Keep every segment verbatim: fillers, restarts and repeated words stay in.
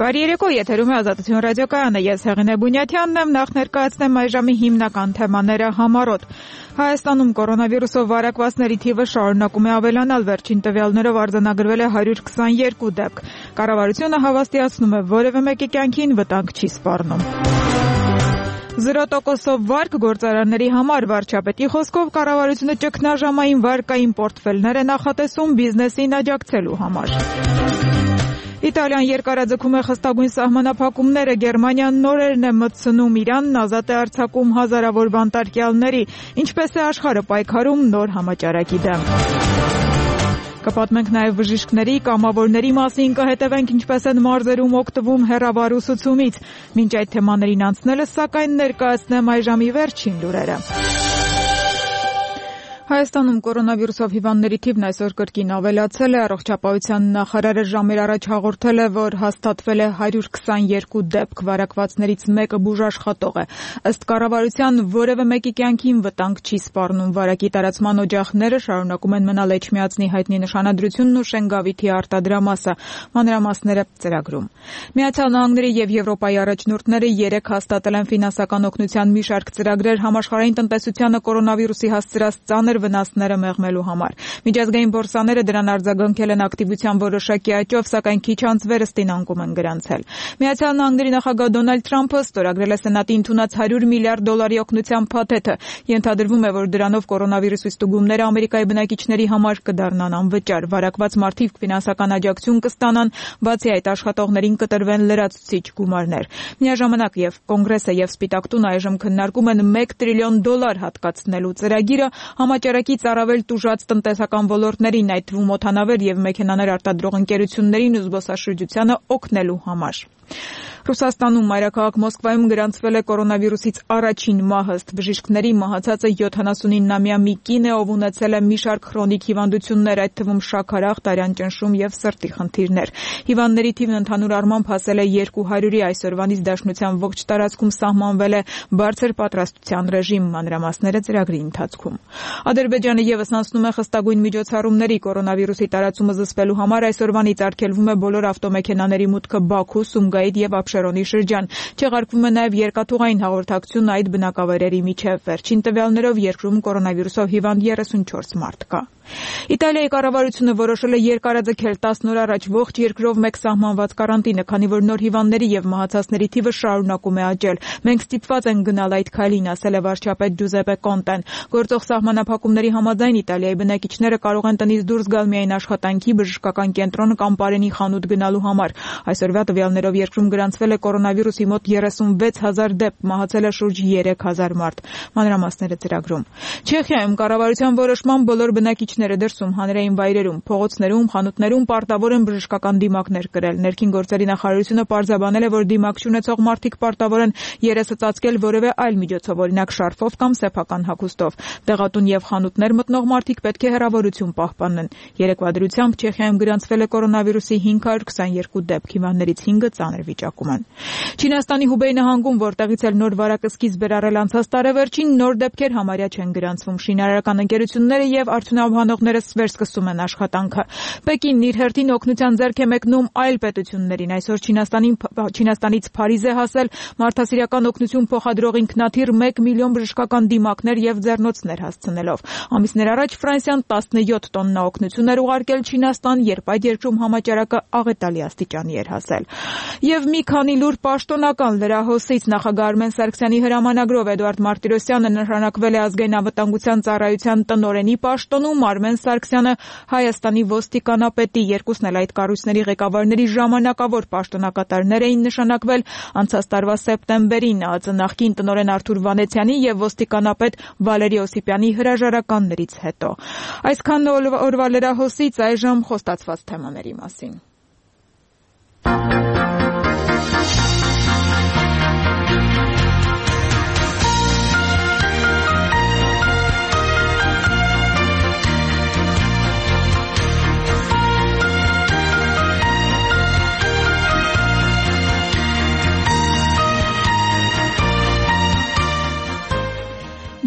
Բարի երեկո, եթերում է Ազատություն ռադիոկայանը, ես Հեղինե Բունյաթյանն եմ, նախ ներկայացնեմ այժմի հիմնական թեմաները համառոտ։ Հայաստանում կորոնավիրուսով վարակվածների թիվը շարունակում է ավելանալ, վերջին տվյալներով արձանագրվել է հարյուր քսաներկու դեպք։ Կառավարությունը հավաստիացնում է, որևէ մեկի կյանքին վտանգ չի սպառնում։ Զրո տոկոսով վարկ գործարանների համար վարչապետի խոսքով կառավարությունը ճգնաժամային վարկային պորտֆելներ է նախատեսում բիզնեսին աջակցելու համար։ Իտալիան երկարաձգում է խստագույն սահմանափակումները, Գերմանիան նորերն է մտցնում Իրանն, ազատ է արձակում հազարավոր բանտարկյալների, ինչպես է աշխարհը պայքարում նոր համաճարակի դեմ։ Կպատմենք նաև բժիշկների, կամավորների մասին, կհետևենք ինչպես են մարզերում օգտվում հեռավար ուսուցումից։ Մինչ այդ թեմաներին անցնելը, սակայն ներկայացնեմ այժմի վերջին լուրերը։ Հայաստանում կորոնավիրուսով հիվանդների թիվն այսօր կրկին ավելացել է, առողջապահության նախարարը ժամեր առաջ հաղորդել է, որ հաստատվել է հարյուր քսաներկու դեպք, վարակվածներից մեկը բուժաշխատող է։ Ըստ կառավարության որևէ մեկի կյանքին վտանգ չի սպառնում, վարակի տարածման օջախները շարունակում են մնալ Էչմիածնի հայտնի նշանադրությունն ու Շենգավիթի արտադրամասը, մանրամասները ծրագրում։ Միացյալ Նահանգների եւ Եվրոպայի առաջնորդները երեկ հաստատել են ֆինանսական օգնության մի շարք ծրագրեր համաշխարհային տնտեսությանը կորոնավիրուսի հասցրած ծանր վնասները մեղմելու համար։ Միջազգային բորսաները դրան արձագանքել են ակտիվության որոշակի աճով, սակայն քիչ անց վերստին անկում են գրանցել։ Միացյալ Նահանգների նախագահ Դոնալդ Թրամփը ստորագրել է Սենատի ընդունած հարյուր միլիարդ դոլարի օգնության փաթեթը։ Ենթադրվում է, որ դրանով կորոնավիրուսի ստուգումները Ամերիկայի բնակիչների համար կդառնան անվճար։ Վարակված մարդիկ ֆինանսական աջակցություն կստանան, բացի այդ աշխատողներին կտրվեն լրացուցիչ գումարներ։ Միաժամանակ եւ Կոնգրեսը եւ Սպիտակ տունը այժմ քննարկում են մեկ տրիլիոն դոլար հատկացնելու ծրագիրը համաճարակից առավել տուժած տնտեսական ոլորտներին, այդ թվում օդանավեր եւ մեքենաներ արտադրող ընկերություններին ու զբոսաշրջությանը օգնելու համար։ Ռուսաստանում մայրաքաղաք Մոսկվայում գրանցվել է կորոնավիրուսից առաջին մահը, ըստ բժիշկների մահացածը յոթանասունինամյա մի կին է, ով ունեցել է մի շարք քրոնիկ հիվանդություններ, այդ թվում շաքարախ, տարյան ճնշում եւ սրտի խնդիրներ։ Հիվանդների թիվն ընդհանուր առմամբ հասել է երկու հարյուրի, այսօրվանից Դաշնության ողջ տարածքում սահմանվել է բարձր պատրաստության ռեժիմ, մանրամասները ծրագրի ընթացքում։ Ադրբեջանը եւս անցնում է խստագույն միջոցառումների, կորոնավիրուսի տարածումը զսպելու համար այսօրվանից արգելվում է բոլոր ավտոմեքենաների մուտքը Բաքու, Սումգայիթ եւ Աբշերոնի շրջան։ Չեղարկվում է նաև երկաթուղային հաղորդակցություն այդ բնակավայրերի միջև։ Վերջին տվյալներով երկրում կորոնավիրուսով հիվանդ երեսունչորս մարդ կա։ Իտալիայի կառավարությունը որոշել է երկարաձգել տասն օր առաջ ողջ երկրով մեկ սահմանված կարանտինը, քանի որ նոր հիվանդների եւ մահացածների թիվը շարունակում է աճել։ Մենք ստիպված ենք գնալ այդ քայլին, ասել է վարչապետ Ջուզեպե Կոնտեն։ Գործող սահմանափակումների համաձայն Իտալիայի բնակիչները կարող են տնից դուրս գալ միայն աշխատանքի, բժշկական կենտրոն կամ բարենի խանութ գնալու համար։ Այսօրվա տվյալներով երկրում գրանցվել է կորոնավիրուսի մոտ երեսունվեց հազար դեպք, մահացել է շուրջ երեք հազար մարդ։ Մանրամասները ծրագրում։ Չեխիայում կառավարության որոշման բոլոր բնակիչները դրսում հանրային վայրերում, փողոցներում, խանութներում պարտավոր են բժշկական դիմակներ կրել։ Ներքին գործերի նախարարությունը պարզաբանել է, որ դիմակ չունեցող մարդիկ պարտավոր են երեսը ծածկել որևէ այլ միջոցով, օրինակ շարֆով կամ սեփական հագուստով։ Դեղատուն եւ խանութներ մտնող մարդիկ պետք է հեռավորություն պահպանեն։ Երեկվա դրությամբ Չեխիայում գրանցվել է կորոնավիրուսի հինգ հարյուր քսաներկու դեպք, հիվանդներից հինգը ծանր վիճակում են։ Չինաստանի Հուբեյ նահանգում, որտեղից էլ նոր վարակը սկիզբ էր առել անցած տարեվերջին, նոր դեպքեր համարյա չեն գրանցվում։ Շինարարական ընկերությունները եւ արդյունաբանողները վերսկսում են աշխատանքը։ Պեկինն իր հերթին օգնության ձեռք է մեկնում այլ պետություններին։ Այսօր Չինաստանին Չինաստանից Փարիզ է հասել մարդասիրական օգնություն փոխադրող ինքնաթիռ մեկ միլիոն բժշկական դիմակներ եւ ձեռնոցներ հասցնելով։ Ամիսներ առաջ Ֆրանսիան տասնյոթ տոննա օգնություն էր ուղարկել Չինաստան, երբ այդ երկրում համաճարակը աղետալի աստիճանի էր հասել։ Եվ մի քանի լուր պաշտոնական լրահոսից նախագահ Արմեն Սարգսյանի հրամանագրով Էդուարդ Մարտիրոսյանը նշանակվել է ազգային անվտանգության ծառայության տնօրենի պաշտոնում, Արմեն Սարգսյանը Հայաստանի ոստիկանապետի, երկուսն էլ այդ կառույցների ղեկավարների ժամանակավոր պաշտոնակատարներ էին նշանակվել անցած տարվա սեպտեմբերին ԱԱԾ նախկին տնօրեն Արթուր Վանեցյանի եւ ոստիկանապետ Վալերի Օսիպյանի հրաժարականներից հետո։ Այսքան օրվա լրահոսից, այժմ խոստացված թեմաների մասին։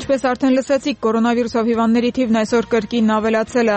Ինչպես արդեն լսեցիք, կորոնավիրուսով հիվանդների թիվն այսօր կրկին ավելացել է